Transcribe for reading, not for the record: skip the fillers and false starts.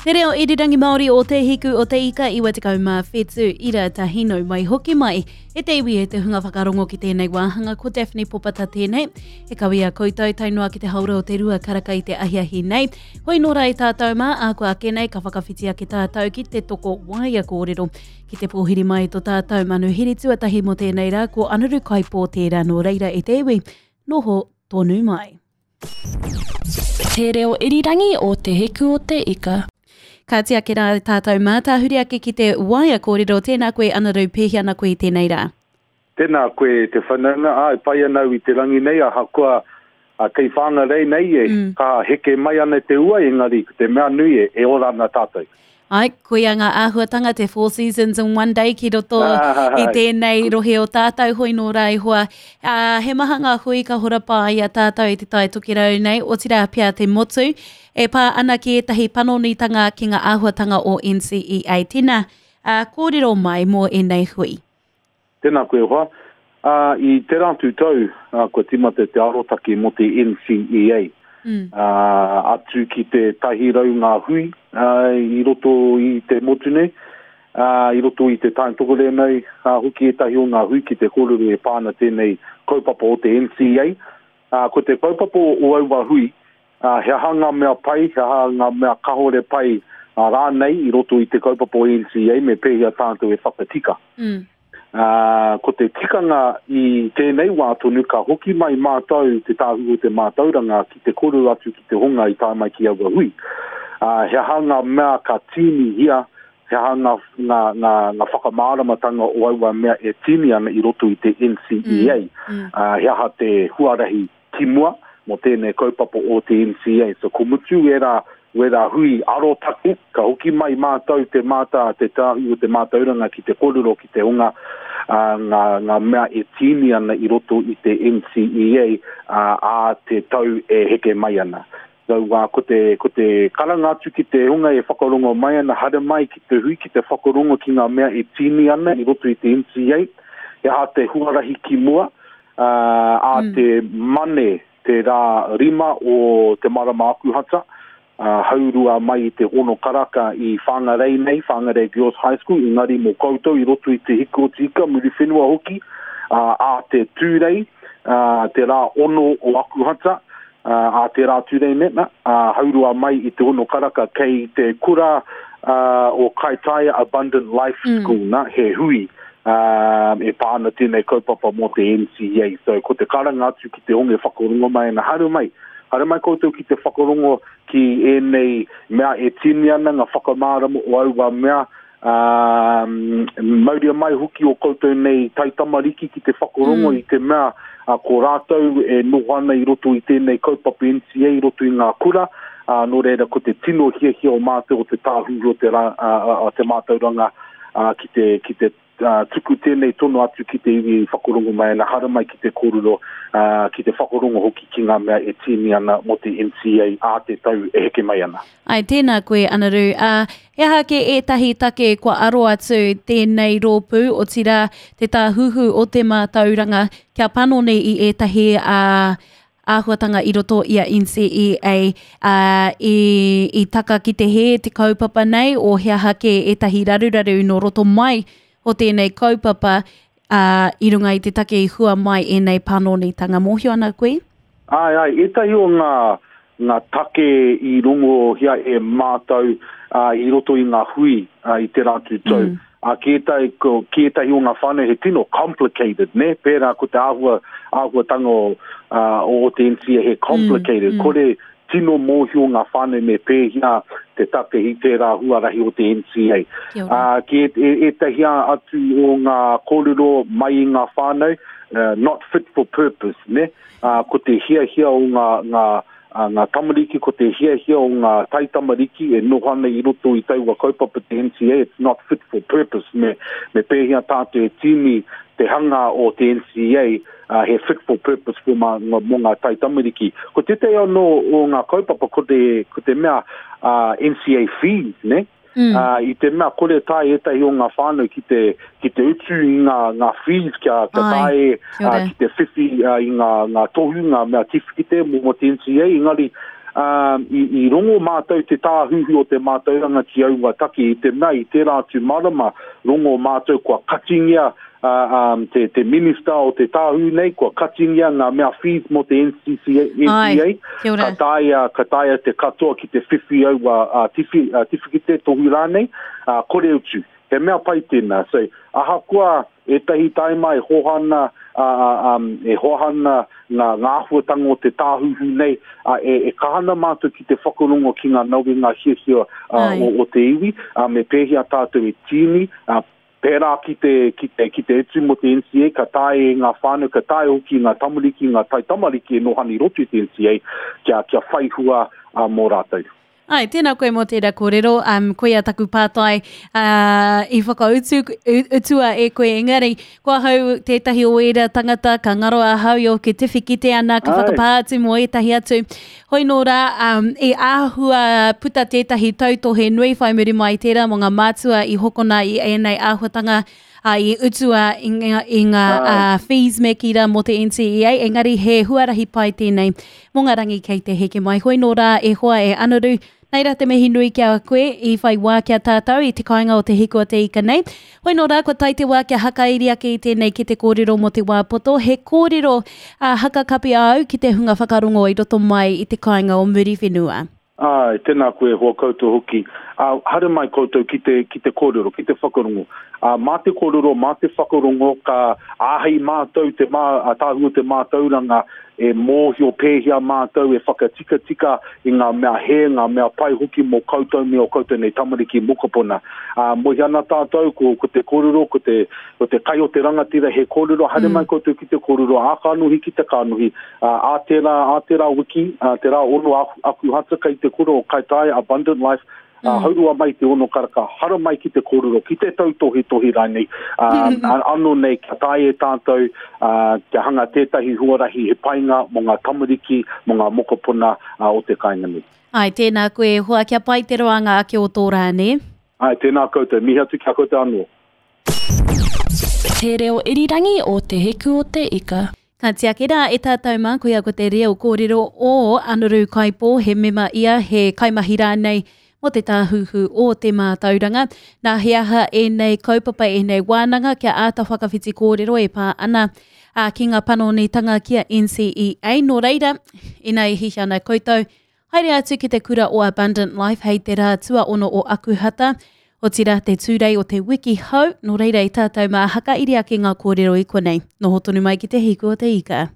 Te reo irirangi Māori o Te Hiku o Te Ika 97 ira tahi nau mai hoki mai. E te iwi e te hunga whakarongo ki tēnei wāhanga ko Daphne Popata tēnei. E kawe a koutou tae noa ki te haora o te rua karaka i te ahiahi nei. Hoi nō rā i tātou mā, ā kua ake nei ka whakawhiti ake tātou ki te toko waea kōrero. Ki te pōhiri mai to tātou manuhiri tuatahi mō tēnei rā ko Anaru Kaipō tērā nō reira e te iwi, noho tonu mai. Te reo irirangi o Te Hiku o Te Ika. Kāti ake rā tātou mā, tāhuri ake ki te waea kōrero, tēnā koe Anaru, pēhea ana koe i tēnei rā? Tēnā koe te whanaunga, āe, pai ana au i te rangi nei, ahakoa kei Whangarei nei e, ka heke mai ana te ua, engari ko te mea nui e, e ora ana tātou. Ai, koia ngā āhuatanga te Four Seasons in One Day ki roto i tēnei rohe o tātou, hoi nō rā e hoa. Ā, he maha ngā hui ka horapa i a tātou i te Tai Tokerau nei, otirā pea te motu, e pā ana ki ētahi panonitanga ki ngā āhuatanga o NCEA. Tēnā, ā, kōrero mai mō ēnei hui. Tēnā koe e hoa. Ā, i tērā atu tau, ā, kua tīmata te arotake mō te NCEA. Mm. Ā, atu ki te 100 ngā hui, ā, i roto i te motu nei, ā, i roto i te Taintokorē nei, ā, hoki ētahi o ngā hui ki te kōrero e pā ana tēnei kaupapa o te NCEA. Ā, ko te kaupapa o aua hui, ā, he aha ngā mea pai, he aha ngā mea kahore pai rānei i roto i te kaupapa o NCEA me pēhea tātou e whakatika. Mm. Ā, ko te tikanga i tēnei wā tonu ka hoki mai mātou Te Tāhuhu o te Mātauranga ki te kōrero atu ki te hunga i tae mai ki aua hui. Ā, he aha ngā mea ka tīnihia, he aha ngā, ngā, ngā, ngā whakamāramatanga o aua mea e tīni ana i roto i te NCEA. Mm, mm. Ā, he aha te huarahi ki mua mō tēnei kaupapa o te NCA. So ko mutu ērā, wērā hui arotake, ka hoki mai mātou te mātā, te tāhu o te mātauranga ki te kōrero ki te hunga ā, ngā, ngā mea e tīni ana i roto i te NCEA ā, ā te tau e heke mai ana. So, ā, ko te, ko te karanga atu ki te hunga e whakarongo mai ana, haere mai ki te hui, ki te whakarongo ki ngā mea e tīni ana i roto i te NCEA, he aha te huarahi ki mua, ā, ā mm. te Mane, te rā rima o te marama Akuhata, ā, haurua mai i te ono karaka i Whangarei nei, Whangarei Girls High School, engari mō koutou i roto i te hiku o te ika, Muriwhenua hoki, ā, ā te Tūrei, ā, te rā ono o Akuhata, ā, ā te rā Tūrei nei, nā, ā, haurua mai i te ono karaka kei te kura ā, o Kaitaia Abundant Life mm. School, mm. nā, he hui, ā, e pā ana tēnei kaupapa mō te NCEA. So, ko te karanga atu ki te onge whakarongo mai ana, haere mai, haere mai koutou ki te whakarongo ki ēnei mea e tīni ana ngā whakamārama o aua mea, ā, mauria mai hoki o koutou nei taitamariki ki te whakarongo mm. i te mea a, ko rātou e noho ana i roto i tēnei kaupapa NCA i roto i ngā kura, ā, nō reira ko te tino hiahia o mātou o te tāhuhu o te, rā, a, a, a te mātauranga ā, ki te, ki te ā, tuku tēnei tono atu ki te iwi i whakarongo mai ana, haramai ki te kōrero, ā, ki te whakarongo hoki ki ngā mea e tīni ana mō te NCA ā te tau e heke mai ana. Āe, tēnā koe, Anaru. Ā, he aha kē ētahi take kua aro atu tēnei rōpū, otirā, te Tāhuhu o te Mātauranga, kia panoni i ētahi, ā, āhuatanga i roto i a NCEA, ā, i, i taka ki te hē te kaupapa nei, o he aha kē ētahi raruraru nō roto mai o tēnei kaupapa, ā, i runga i te take i hua mai ēnei panonitanga. Mōhio ana koe? Āe, āe, ētahi o ngā, ngā take i rongohia e mātou, ā, i roto i ngā hui, ā, i tērā atu tau. Mm. Ā, ki ētahi, ko, ki ētahi o ngā whānau he tino complicated, nē? Pērā ko te āhua, āhuatanga o, ā, o te NCA he complicated. Mm, mm. Kore tino mōhio ngā whānau me pēhea te tapehi tērā huarahi o te NCA. Ā, ki ē, ē, ētahi atu o ngā kōrero mai i ngā whānau, uh, not fit for purpose, nē? Ā, ko te hiahia o ngā, ngā, ā, ngā tamariki, ko te hiahia o ngā taitamariki e noho ana i roto i taua kaupapa te NCA, it's not fit for purpose, me, me pēhea tātou e tīni te hanga o te NCA, ā, he fit for purpose for mā, mō ngā taitamariki. Ko tētahi anō o ngā kaupapa, ko te, ko te mea, ā, NCA fees, ne? Mm. Uh, i te mea kore tae ētahi o ngā whānau ki te, ki te utu i ngā, ngā fees kia, kia tae uh, ki te whiwhi uh, i ngā, ngā tohu, ngā mea tiwhikite mō, mō te NCA, engari ā, i, i rongo mātou te tāhuhu o te mātauranga ki aua take i te mea i tērā atu marama rongo mātou kua katingia ā, ā, te, te minista o te tāhū nei, kua katingia ngā mea fees mō te NCCA, Ai, NCA, kia ora. ka taea, ka taea te katoa ki te whiwhi aua ā, tiwhi, ā, tiwhikete, tohu rānei, ā, kore utu. He mea pai tēnā. So, ahakoa ētahi taima e hoha ana, ā, ā, ā, e hoha ana ngā, ngā āhuatanga o te tāhuhu nei, ā, e, e kaha ana mātou ki te whakarongo ki ngā nawe, ngā hiahia ā, Ai. o, o te iwi, ā, me pēhea tātou e tīni, ā, pērā ki te, ki te, ki te utu mō te NCA, ka taea e ngā whānau, ka taea hoki ngā tamariki, ngā taitamariki e noho ana i roto i te NCA, kia, kia whai hua ā, mō rātou. Āe, tēnā koe mō tērā kōrero, um, koia taku pātai uh, i whakautu, utua e koe, engari, ko ahau tētahi o ērā tangata, ka ngaro ahau i ōku tiwhikete ana, ka whakapā atu mō ētahi atu. Hoi nō rā, um, i āhua puta tētahi tautohe nui whai muri mai i tērā mō ngā mātua i hokona i ēnei āhuatanga, ā, i utua i ngā, i ngā uh, fees me kī rā mō te NCEA, engari he huarahi pai tēnei mō ngā rangi kei te heke mai. Hoi nō rā e hoa e Anaru, nei rā te mihi nui ki a koe i whai wā ki a tātou i te kāinga o Te Hiku o Te Ika nei. Hoi nō rā kua tae te wā kia hakairi ake i tēnei ki te kōrero mō te wā poto, he kōrero ā, hakakapi āu ki te hunga whakarongo i roto mai i te kāinga o Muriwhenua. Āe, tēnā koe e hoa koutou hoki. Ā, haere mai koutou ki te, ki te kōrero, ki te whakarongo. Ā, mā te kōrero, mā te whakarongo ka āhei mātou te mā, ā, tāhū o te mātauranga e mōhio pēhea mātou e whakatikatika i ngā mea hē, ngā mea pai hoki mō koutou me ō koutou nei tamariki mokopuna. Ā, mohi ana tātou ko, ko te kōrero, ko te, ko te kai o te rangatira he kōrero, haere mai koutou ki te kōrero, ā kanohi ki te kanohi, Ā, ā tērā, ā tērā wiki, ā, te rā ono Akuhata kei te kura o Kaitaia, Abundant Life, ā, haurua mai te ono karaka, haramai ki te kōrero, ki te tautohetohe rānei, ā, anō nei kia taea e tātou, ā, kia hanga tētahi huarahi he painga mō ngā tamariki, mō ngā mokopuna, ā, o te kāinga nei. Āe, tēnā koe e hoa, kia pai te roanga ake o tō rā, nē? Āe, tēnā koutou, mihi atu ki a koutou anō. Te reo irirangi o Te Hiku o Te Ika. Ka tiaki rā e tātou mā, koia ko te reo kōrero o Anaru Kaipo, he mema ia, he kaimahi rānei mō te Tāhuhu o te Mātauranga. Nā, he aha ēnei kaupapa, ēnei wānanga kia āta whakawhiti kōrero e pā ana ki ngā panonitanga ki a NCEA. Nō reira, ina e hiahia ana koutou, Haere atu ki te kura o Abundant Life hei te rā tuaono o Akuhata, otirā te Tūrei o te wiki hou, nō reira i tātou mā hakairi ake ngā kōrero i konei. Noho tonu mai ki te hiku o te ika.